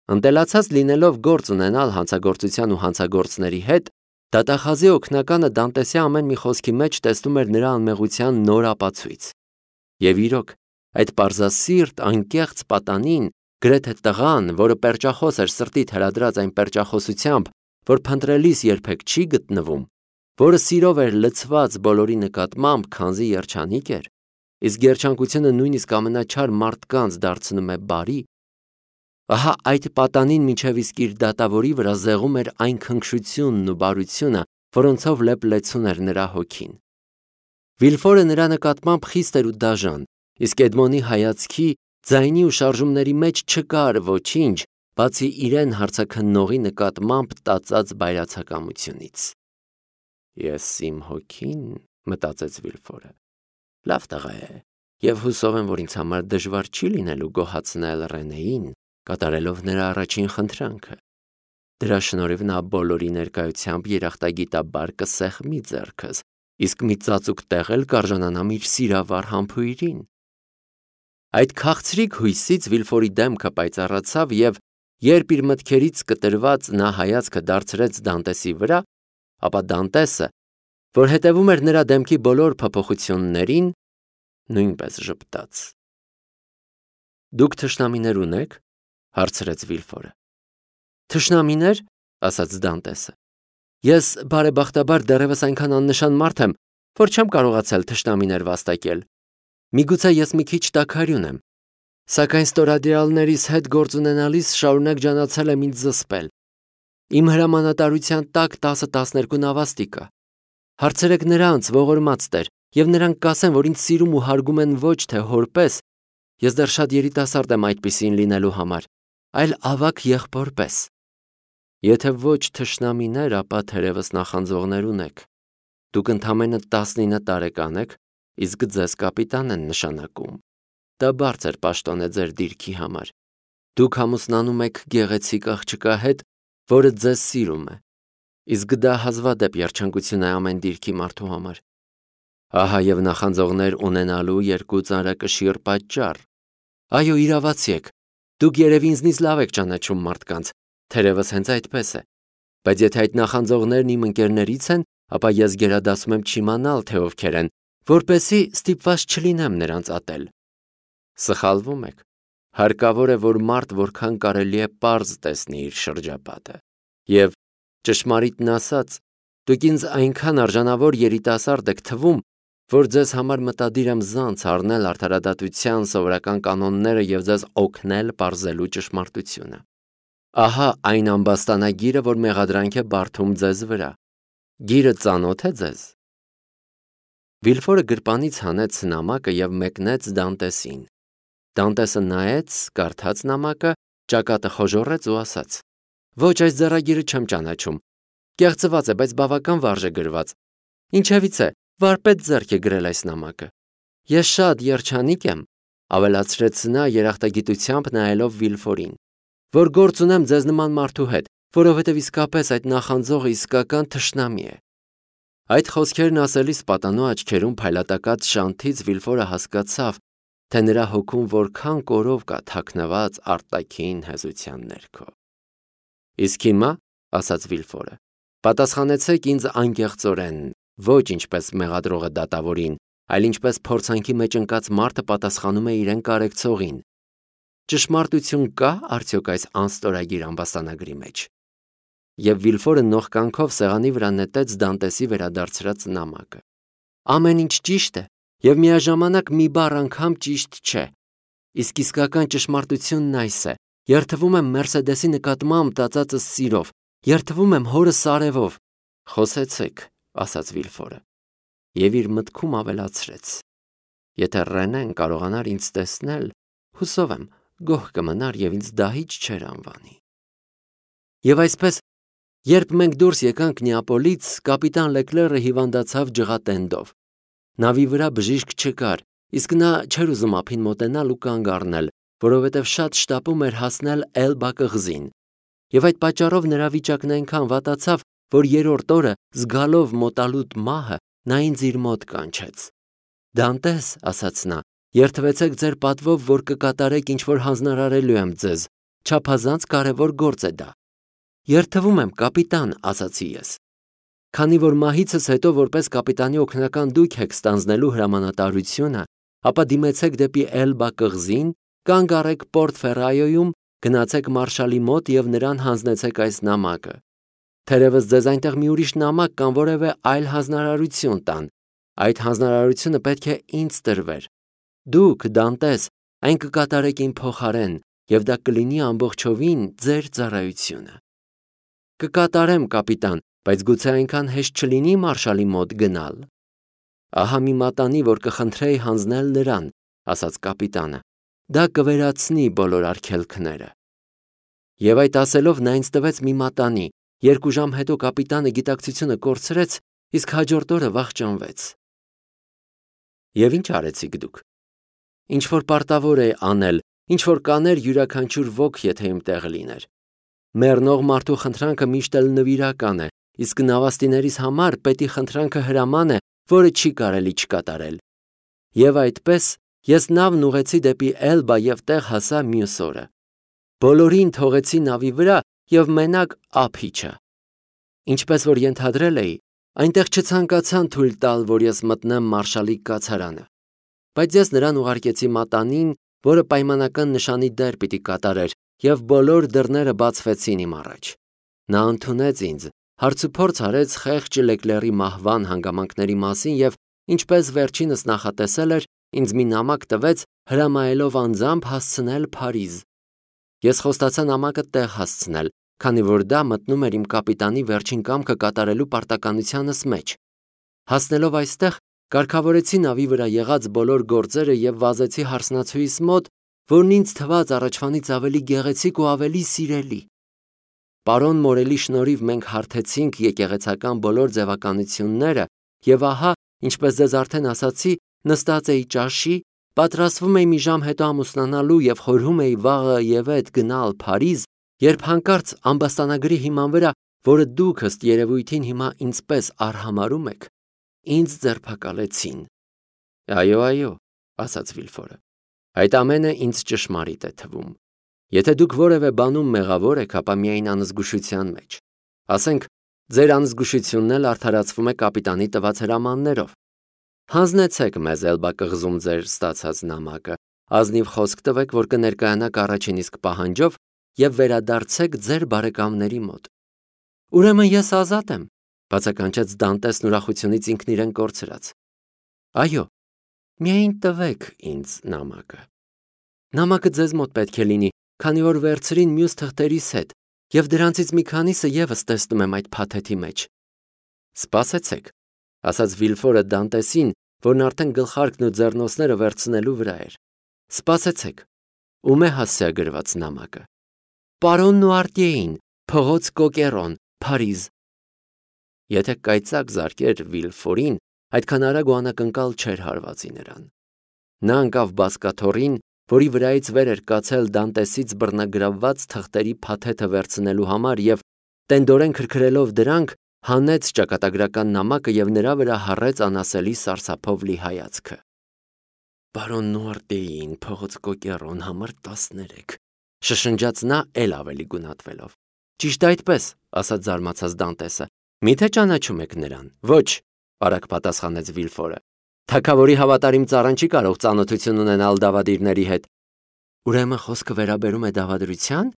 Ընտելացած լինելով գործ ունենալ հանցագործության ու հանցագործների հետ, դատախազի օգնականը Դանտեսի ամեն մի խոսքի մեջ տեսնում էր նրա անմեղության նոր ապացույց։ Եվ իրոք, այդ պարզասիրտ, անկեղծ պատանին, գրեթե տղան, որը պերճախոս էր սրտիդ հրադրած այն պերճախոսությամբ, որ փնտրելիս երբեք չի գտնվում, որը սիրով էր լցված բոլորի նկատմամբ, քանզի երջանիկ էր, իսկ երջանկությունը նույնիսկ ամենաչար մարդկանց դարձնում է բարի, ահա այդ պատանին մինչև իսկ իր դատավորի վրա զեղում էր այն քնքշությունն ու բարությունը, որոնցով լեփ-լեցուն էր նրա հոգին։ Վիլֆորը նրա նկատմամբ խիստ էր ու դաժան, իսկ Էդմոնի հայացքի, ձայնի ու շարժումների մեջ չկար ոչինչ, բացի իրեն հարցաքննողի նկատմամբ տածած բայրացակամությունից։ Ես իմ հոգին, մտածեց Վիլֆորը, լավ տղա է, եւ հուսով եմ, որ ինձ համար դժվար չի լինելու գոհացնել Ռենեին, կատարելով նրա առաջին խնդրանքը։ Դրա շնորհիվ նա բոլորի ներկայությամբ երախտագիտաբար կսեղմի ձեռքս, իսկ մի ծածուկ տեղ էլ կարժանանամ իր սիրավար համբույրին։ Այդ քաղցրիկ հույսից Վիլֆորի դեմքը պայծառացավ եւ երբ իր մտքերից կտրված նա հայացքը դարձրեց Դանտեսի վրա, ապա Դանտեսը, որ հետևում էր նրա դեմքի բոլոր փոփոխություններին, նույնպես ժպտաց։ Դուք թշնամիներ ունեք, հարցրեց Վիլֆորը։ Թշնամիներ, ասաց Դանտեսը։ Ես բարեբախտաբար դեռևս այնքան աննշան մարդ եմ, որ չեմ կարողացել թշնամիներ վաստակել։ Միգուցե ես մի քիչ տաքարյուն եմ, սակայն ստորադյալներիս հետ գործ ունենալիս շարունակ ջանացել եմ ինձ զսպել։ Իմ հրամանատարության տակ 10-12 նավաստի կա։ Հարցրեք նրանց, ողորմած տեր, եւ նրանք կասեն, որ ինձ սիրում ու հարգում են ոչ թե հորպես, ես դեռ շատ երիտասարդ եմ այդպիսին լինելու համար, այլ ավագ եղբոր պես։ Եթե ոչ թշնամիներ, ապա թերևս նախանձողներ ունեք։ Դուք ընդամենը 19 տարեկան եք, իսկ ձեզ կապիտան են նշանակում։ Դա բարձր պաշտոն է ձեր դիրքի համար։ Դուք ամուսնանում եք գեղեցիկ աղջկա հետ, որը ձեզ սիրում է, իսկ դա հազվադեպ երջանկություն է ամեն դիրքի մարդու համար։ Ահա եւ նախանձողներ ունենալու երկու ծանրակշիռ պատճառ։ Այո, իրավացի եք։ Դուք երևի ինձնից լավ եք ճանաչում մարդկանց, թերևս հենց այդպես է։ Բայց եթե այդ նախանձողներն իմ ընկերներից են, ապա ես գերադասում եմ չիմանալ, թե ովքեր են, որպեսզի ստիպված չլինեմ նրանց ատել։ Սխալվում եք։ Հարկավոր է, որ մարդ որքան կարելի է պարզ տեսնի իր շրջապատը։ Եվ ճշմարիտն ասած, դուք ինձ այնքան արժանավոր երիտասարդ եք թվում, որ ձեզ համար մտադիր եմ զանց առնել արդարադատության սովորական կանոնները եւ ձեզ օգնել պարզելու ճշմարտությունը։ Ահա այն ամբաստանագիրը, որ մեղադրանք է բարդում ձեզ վրա։ Գիրը ծանոթ է ձեզ։ Վիլֆորը գրպանից հանեց նամակը եւ մեկնեց Դանտեսին։ Դանտեսը նայեց, կարդաց նամակը, ճակատը խոժոռեց ու ասաց. Ոչ, այս ձեռագիրը չեմ ճանաչում։ Կեղծված է, բայց բավական վարժ է գրված։ Ինչևից է, վարպետ ձեռք է գրել այս նամակը։ Ես շատ երջանիկ եմ, ավելացրեց նա երախտագիտությամբ նայելով Վիլֆորին, որ գործ ունեմ ձեզ նման մարդու հետ, որովհետև իսկապես այդ նախանձողը իսկական թշնամի է։ Այդ խոսքերն ասելիս պատանու աչքերում փայլատակած շանթից Վիլֆորը հասկացավ, թե նրա հոգում որքան կորով կա թաքնված արտաքին հեզության ներքո։ Իսկ հիմա, ասաց Վիլֆորը, պատասխանեցեք ինձ անկեղծորեն, ոչ ինչպես մեղադրողը դատավորին, այլ ինչպես փորձանքի մեջ ընկած մարդը պատասխանում է իրեն կարեկցողին։ Ճշմարտություն կա արդյոք այս անստորագիր ամբաստանագրի մեջ։ Եվ Վիլֆորը նողկանքով սեղանի վրա նետեց Դանտեսի վերադարձրած նամակը։ Ամեն ինչ ճիշտ է, եւ միաժամանակ մի բառ անգամ ճիշտ չէ։ Իսկ իսկական ճշմարտությունն այս է. երթվում եմ Մերսեդեսի նկատմամբ տածածս սիրով, երթվում եմ հորս արևով։ Խոսեցեք, ասաց Վիլֆորը, եւ իր մտքում ավելացրեց. Եթե Ռենեն կարողանար ինձ տեսնել, հուսով եմ, գոհ կմնար եւ ինձ դահիճ չեր անվանի։ Եվ այսպես, երբ մենք դուրս եկանք Նեապոլից, կապիտան Լեկլերը հիվանդացավ ջղատենդով։ Նավի վրա բժիշկ չկար, իսկ նա չէր ուզում ափին մոտենալ ու կանգ առնել, որովհետև շատ շտապում էր հասնել Էլբա կղզին։ Եվ այդ պատճառով նրա վիճակն այնքան վատացավ, որ երրորդ օրը, զգալով մոտալուտ մահը, նա ինձ իր մոտ կանչեց։ Դանտես, ասաց նա, երթվեցեք ձեր պատվով, որ կկատարեք ինչ որ հանձնարարելու եմ ձեզ, չափազանց կարևոր գործ է դա։ Երդվում եմ, կապիտան, ասացի ես։ Քանի որ մահիցս հետո որպես կապիտանի օգնական դուք եք ստանձնելու հրամանատարությունը, ապա դիմեցեք դեպի Էլբա կղզին, կանգ առեք Պորտ Ֆերրայոյում, գնացեք մարշալի մոտ եւ նրան հանձնեցեք այս նամակը։ Թերևս ձեզ այնտեղ մի ուրիշ նամակ կամ որևէ այլ հանձնարարություն տան, այդ հանձնարարությունը պետք է ինձ տրվեր։ Դուք, Դանտես, այն կկատարեք իմ փոխարեն, եւ դա կլինի ամբողջովին ձեր ծառայությունը։ Կկատարեմ, կապիտան, բայց գուցե այնքան հեշտ չլինի մարշալի մոտ գնալ։ Ահա մի մատանի, որ կխնդրեի հանձնել նրան, ասաց կապիտանը։ Դա կվերացնի բոլոր արգելքները։ Եվ այդ ասելով նա ինձ տվեց մի մատանի, 2 ժամ հետո կապիտանը գիտակցությունը կորցրեց, իսկ հաջորդ օրը վախճանվեց։ Եվ ինչ արեցիք դուք։ Ինչ որ պարտավոր է անել, ինչ որ կաներ յուրաքանչյուր ոք, եթե իմ տեղը լիներ։ Մեռնող մարդու խնդրանքը միշտ էլ նվիրական է, իսկ նավաստիներիս համար պետի խնդրանքը հրաման է, որը չի կարելի չկատարել։ Եվ այդպես ես նավն ուղեցի դեպի Էլբա եւ տեղ հասա մյուս օրը։ Բոլորին թողեցի նավի վրա եւ մենակ ափիչը։ Ինչպես որ ենթադրել էի, այնտեղ չցանկացան թույլ տալ, որ ես մտնեմ մարշալի կացարանը։ Բայց ես նրան ուղարկեցի մատանին, որը պայմանական նշանի դեր պիտի կատարեր, եւ բոլոր դռները բացվեցին իմ առաջ։ Նա ընդունեց ինձ, հարցուփորձ արեց խեղճ Լեկլերի մահվան հանգամանքների մասին եւ ինչպես վերջինս նախատեսել էր, ինձ մի նամակ տվեց, հրամայելով անձամբ հասցնել Փարիզ։ Ես խոստացա նամակը տեղ հասցնել, քանի որ դա մտնում էր իմ կապիտանի վերջին կամքը կատարելու պարտականությանս մեջ։ Հասնելով այստեղ, կարգավորեցի նավի վրա եղած բոլոր գործերը եւ վազեցի հարսնացուիս մոտ, որն ինձ թվաց առաջվանից ավելի գեղեցիկ ու ավելի սիրելի։ Պարոն Մորելի շնորհիվ մենք հարթեցինք եկեղեցական բոլոր ձևականությունները եւ ահա, ինչպես ձեզ արդեն ասացի, նստած էի ճաշի, պատրաստվում էի մի ժամ հետո ամուսնանալու եւ խորհում էի վաղը եւ այդ գնալ Փարիզ, երբ հանկարծ ամբաստանագրի հիման վրա, որը դուք ըստ երևույթին հիմա ինձպես արհամարում եք, ինձ ձերբակալեցին։ Այո, ասաց Վիլֆորը։ Այդ ամենը ինձ ճշմարիտ է թվում։ Եթե դուք որևէ բանում մեղավոր եք, ապա միայն անզգուշության մեջ։ Ասենք, ձեր անզգուշությունն էլ արդարացվում է կապիտանի տված հրամաններով։ Հանձնեցեք մեզ Էլբա կղզում ձեր ստացած նամակը, ազնիվ խոսք տվեք, որ կներկայանաք առաջին իսկ պահանջով եւ վերադարձեք ձեր բարեկամների մոտ։ Ուրեմն ես ազատ եմ, բացականչեց Դանտեսն ուրախությունից ինքն իրեն կորցրած։ Այո, միայն տվեք ինձ նամակը։ Նամակը ձեզ մոտ պետք է լինի, քանի որ վերցրին մյուս թղթերիս հետ, եւ դրանցից մի քանիսը եւս տեսնում եմ այդ փաթեթի մեջ։ Սպասեցեք, ասաց Վիլֆորը Դանտեսին, որն արդեն գլխարկն ու ձեռնոցները վերցնելու վրա էր։ Սպասեցեք, ում է հասցեագրված նամակը։ Պարոն Նուարտիեին, փողոց Կոկերոն, Փարիզ։ Եթե կայծակ զարկեր Վիլֆորին, այդքան արագ ու անակնկալ չէր հարվածի նրան։ Նա ընկավ բազկաթոռին, որի վրայից վեր էր կացել Դանտեսից բռնագրավված թղթերի փաթեթը վերցնելու համար եւ տենդորեն քրքրելով դրանք, հանեց ճակատագրական նամակը եւ նրա վրա հառեց անասելի սարսափով լի հայացքը։ Պարոն Նուարտեին, փողոց Կոկերոն, համար 13, շշնջաց նա էլ ավելի գունատվելով։ Ճիշտ այդպես, ասաց զարմացած Դանտեսը։ Միթե ճանաչում եք նրան։ Ոչ, արագ պատասխանեց Վիլֆորը։ Թագավորի հավատարիմ ծառան չի կարող ծանոթություն ունենալ դավադիրների հետ։ Ուրեմն խոսքը վերաբերում է դավադրության,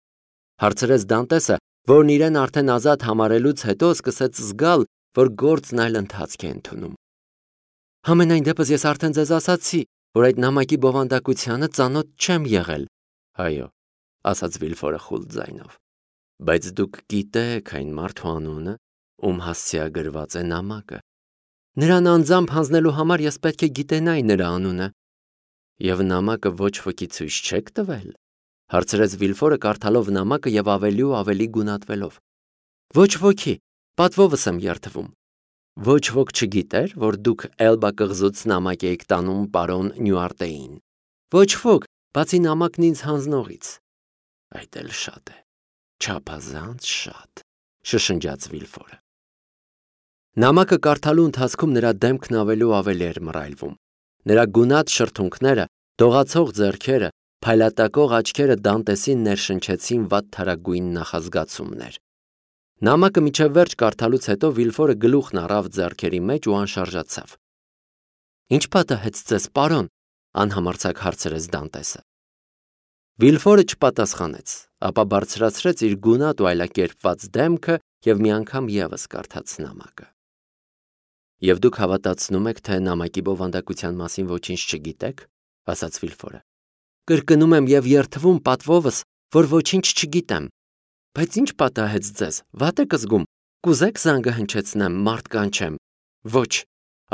հարցրեց Դանտեսը, որն իրեն արդեն ազատ համարելուց հետո սկսեց զգալ, որ գործն այլ ընթացք է ընդունում։ Համենայն դեպս ես արդեն ձեզ ասացի, որ այդ նամակի բովանդակությանը ծանոթ չեմ եղել։ Այո, ասաց Վիլֆորը խուլ ձայնով։ Բայց դուք գիտեք այն մարդու անունը, ում հասցեագրված է նամակը։ Նրան անձամբ հանձնելու համար ես պետք է գիտենայի նրա անունը։ Եվ նամակը ոչ ոքի ցույց չեք տվել, հարցրեց Վիլֆորը կարդալով նամակը եւ ավելի ու ավելի գունատվելով։ Ոչ ոքի, պատվովս եմ երդվում։ Ոչ ոք չգիտեր, որ դուք Էլբա կղզուց նամակ եք տանում պարոն Նյուարտեին։ Ոչ ոք, բացի նամակն ինձ հանձնողից։ Այդ էլ շատ է, չափազանց շատ, շշնջաց Վիլֆորը։ Նամակը կարդալու ընթացքում նրա դեմքն ավելի ու ավելի էր մռայլվում։ Նրա գունատ շրթունքները, դողացող ձեռքերը, Փայլատակող աչքերը Դանտեսին ներշնչեցին վատթարագույն նախազգացումներ։ Նամակը միջև վերջ կարդալուց հետո Վիլֆորը գլուխն առավ ձեռքերի մեջ ու անշարժացավ։ Ինչ պատահեց ձեզ, պարոն, անհամարձակ հարցրեց Դանտեսը։ Վիլֆորը չպատասխանեց, ապա բարձրացրեց իր գունատ ու այլակերպված դեմքը և մի անգամ ևս կարդաց նամակը։ Եվ դուք հավատացնում եք, թե նամակի բովանդակության մասին ոչինչ չգիտեք, ասաց Վիլֆորը։ Կրկնում եմ և երդվում պատվովս, որ ոչինչ չգիտեմ։ Բայց ինչ պատահեց ձեզ, վատ եք զգում, կուզեք զանգը հնչեցնեմ, մարդ կանչեմ։ Ոչ,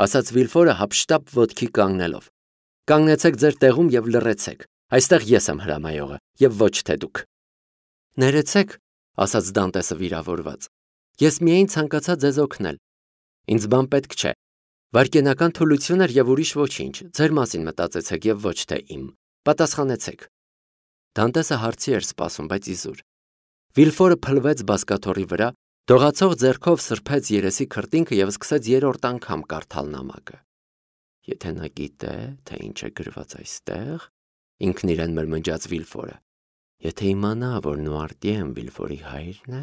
ասաց Վիլֆորը հափշտապ ոտքի կանգնելով։ Կանգնեցեք ձեր տեղում և լռեցեք, այստեղ ես եմ հրամայողը, և ոչ թե դուք։ Ներեցեք, ասաց Դանտեսը վիրավորված, ես միայն ցանկացա ձեզ օգնել։ Ինձ բան պետք չէ։ Վայրկենական թուլություն էր և ուրիշ ոչինչ, ձեր մասին մտածեցեք և ոչ թե իմ։ Պատասխանեցեք։ Դանտեսը հարցի էր սպասում, բայց իզուր։ Վիլֆորը փլվեց բազկաթոռի վրա, դողացող ձեռքով սրբեց երեսի քրտինքը և սկսեց երրորդ անգամ կարդալ նամակը։ Եթե նա գիտե, թե ինչ է գրված այստեղ, ինքն իրեն մրմնջաց Վիլֆորը։ Եթե իմանա, որ Նուարտիեն Վիլֆորի հայրն է,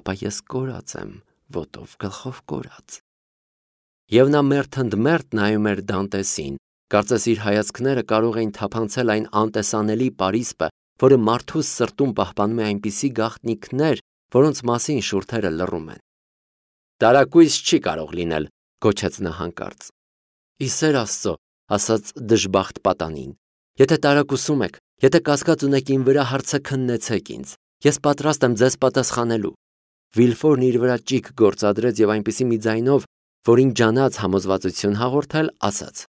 ապա ես կորած եմ, ոտով գլխով կորած։ Եվ նա մերթընդմերթ նայում էր Դանտեսին, կարծես իր հայացքները կարող էին թափանցել այն անտեսանելի պարիսպը, որը մարդուս սրտում պահպանում է այնպիսի գաղտնիքներ, որոնց մասին շուրթերը լռում են։ Տարակույս չի կարող լինել, գոչեց նա հանկարծ։ Ի սեր Աստծո, ասաց դժբախտ պատանին, եթե տարակուսում եք, եթե կասկած ունեք իմ վրա, հարցը քննեցեք ինձ, ես պատրաստ եմ ձեզ պատասխանելու։ Վիլֆորն իր վրա ճիգ գործադրեց և այնպիսի մի ձայնով, որին ջանաց համոզվածություն հաղորդել, ասաց.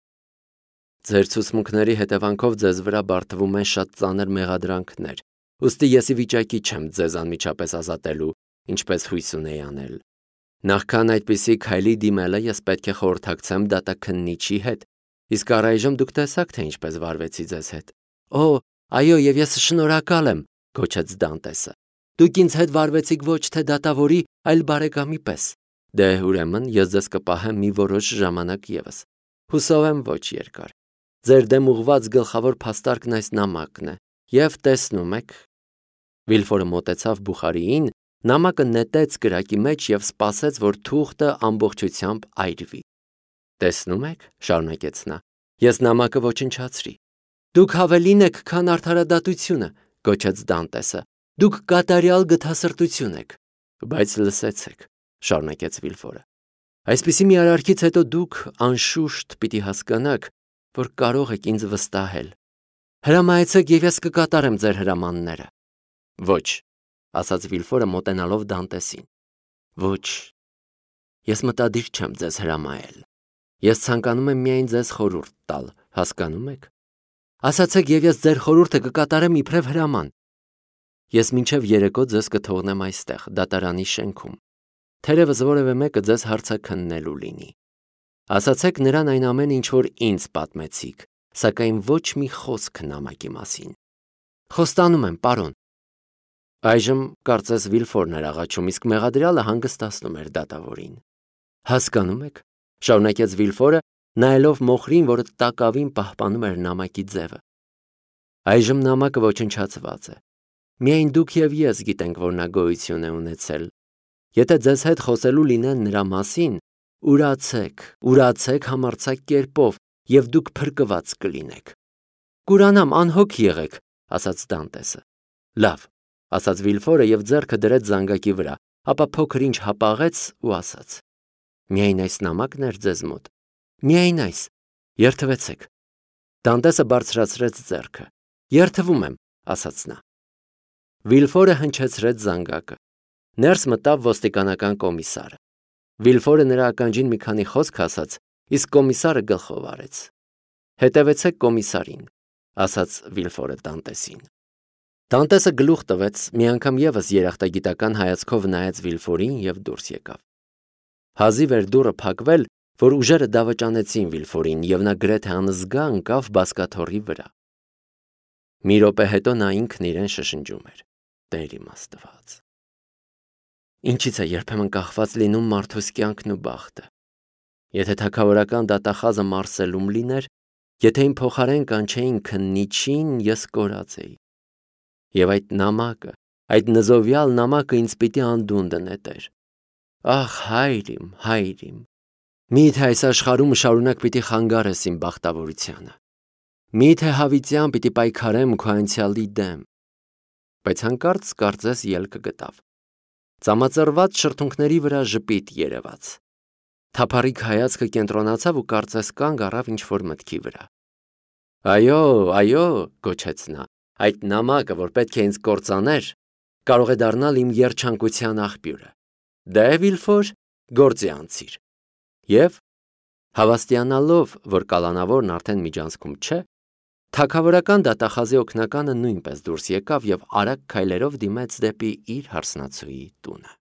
Ձեր ցուցմունքների հետևանքով ձեզ վրա բարդվում են շատ ծանր մեղադրանքներ, ուստի ես ի վիճակի չեմ ձեզ անմիջապես ազատելու, ինչպես հույս ունեի անել։ Նախքան այդպիսի քայլի դիմելը ես պետք է խորհրդակցեմ դատաքննիչի հետ, իսկ առայժմ դուք տեսաք, թե ինչպես վարվեցի ձեզ հետ։ Օ, այո, և ես շնորհակալ եմ, գոչեց Դանտեսը։ Դուք ինձ հետ վարվեցիք ոչ թե դատավորի, այլ բարեկամի պես։ Դե, ուրեմն, ես ձեզ կպահեմ մի որոշ ժամանակ ևս։ Հուսով եմ ոչ երկար։ Ձեր դեմ ուղված գլխավոր փաստարկն այս նամակն է, և տեսնում եք։ Վիլֆորը մոտեցավ բուխարիին, նամակը նետեց կրակի մեջ և սպասեց, որ թուղթը ամբողջությամբ այրվի։ Տեսնում եք, շարունակեց նա, ես նամակը ոչնչացրի։ Դուք հավելին եք, քան արդարադատությունը, գոչեց Դանտեսը։ Դուք կատարյալ գթասրտություն եք։ Բայց լսեցեք, շարունակեց Վիլֆորը։ Այսպիսի մի արարքից հետո դուք անշուշտ պիտի հասկանաք, որ կարող եք ինձ վստահել։ Հրամայեցեք և ես կկատարեմ ձեր հրամանները։ Ոչ, ասաց Վիլֆորը մոտենալով Դանտեսին։ Ոչ, ես մտադիր չեմ ձեզ հրամայել։ Ես ցանկանում եմ միայն ձեզ խորհուրդ տալ, հասկանում եք։ Ասացեք և ես ձեր խորհուրդը կկատարեմ իբրև հրաման։ Ես մինչև երեկո ձեզ կթողնեմ այստեղ, դատարանի շենքում։ Թերևս որևէ մեկը ձեզ հարցաքննելու լինի։ Ասացեք նրան այն ամենը, ինչ որ ինձ պատմեցիք, սակայն ոչ մի խոսք նամակի մասին։ Խոստանում եմ, պարոն։ Այժմ կարծես Վիլֆորն էր աղաչում, իսկ մեղադրյալը հանգստացնում էր դատավորին։ Հասկանում եք, շարունակեց Վիլֆորը, նայելով մոխրին, որը տակավին պահպանում էր նամակի ձևը։ Այժմ նամակը ոչնչացված է։ Միայն դուք և ես գիտենք, որ նա գոյություն է ունեցել։ Եթե ձեզ հետ խոսելու լինեն նրա մասին, ուրացեք համարձակ կերպով, և դուք փրկված կլինեք։ Կուրանամ, անհոգ եղեք, ասաց Դանտեսը։ Լավ, ասաց Վիլֆորը և ձեռքը դրեց զանգակի վրա, ապա փոքր ինչ հապաղեց ու ասաց. Միայն այս նամակն էր ձեզ մոտ։ Միայն այս, երդվեցեք։ Դանտեսը բարձրացրեց ձեռքը։ Երդվում եմ, ասաց նա։ Վիլֆորը հնչեցրեց զանգակը։ Ներս մտավ ոստիկանական կոմիսարը։ Վիլֆորը նրա ականջին մի քանի խոսք ասաց, իսկ կոմիսարը գլխով արեց։ Հետևեցեք կոմիսարին, ասաց Վիլֆորը Դանտեսին։ Դանտեսը գլուխ տվեց, մի անգամ ևս երախտագիտական հայացքով նայեց Վիլֆորին և դուրս եկավ։ Հազիվ էր դուռը փակվել, որ ուժերը դավաճանեցին Վիլֆորին, և նա գրեթե անզգա ընկավ բազկաթոռի վրա։ Մի րոպե հետո նա ինքն իրեն շշնջում էր. Տեր իմ Աստված։ Ինչից է երբեմն կախված լինում մարդուս կյանքն ու բախտը։ Եթե թագավորական դատախազը Մարսելում լիներ, Եթե իմ փոխարեն կանչեին քննիչին, ես կորած էի։ Եվ այդ նամակը, այդ նզովյալ նամակը ինձ պիտի անդունդը նետեր։ Ախ, հայր իմ, միթե այս աշխարհում շարունակ պիտի խանգարես իմ բախտավորությանը։ Միթե հավիտյան պիտի պայքարեմ քո անցյալի դեմ։ Բայց հանկարծ կարծես ելքը գտավ։ Ծամածրված շրթունքների վրա ժպիտ երևաց։ Թափառիկ հայացքը կենտրոնացավ ու կարծես կանգ առավ ինչ-որ մտքի վրա։ Այո, գոչեց նա, այդ նամակը, որ պետք է ինձ կործաներ, կարող է դառնալ իմ երջանկության աղբյուրը։ Դե Վիլֆոր, գործի անցիր։ Եվ, հավաստիանալով, որ կալանավորն արդեն միջանցքում չէ, թագավորական դատախազի օգնականը նույնպես դուրս եկավ և արագ քայլերով դիմեց դեպի իր հարսնացուի տունը։